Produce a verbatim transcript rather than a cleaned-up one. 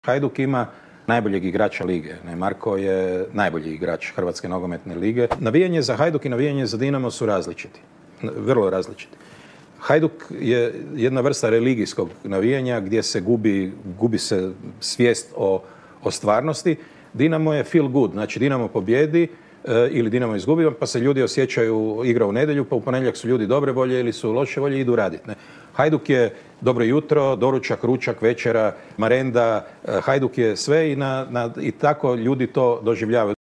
Hajduk ima najboljeg igrača lige. Ne, Marko je najbolji igrač Hrvatske nogometne lige. Navijanje za Hajduk i navijanje za Dinamo su različiti. Vrlo različiti. Hajduk je jedna vrsta religijskog navijanja gdje se gubi, gubi se svijest o, o stvarnosti. Dinamo je feel good, znači Dinamo pobjedi e, ili Dinamo izgubi, pa se ljudi osjećaju igra u nedjelju, pa u ponedjeljak su ljudi dobre volje ili su loše volje i idu raditi. Ne? Hajduk je dobro jutro, doručak, ručak, večera, marenda, Hajduk je sve i, na, na, i tako ljudi to doživljavaju.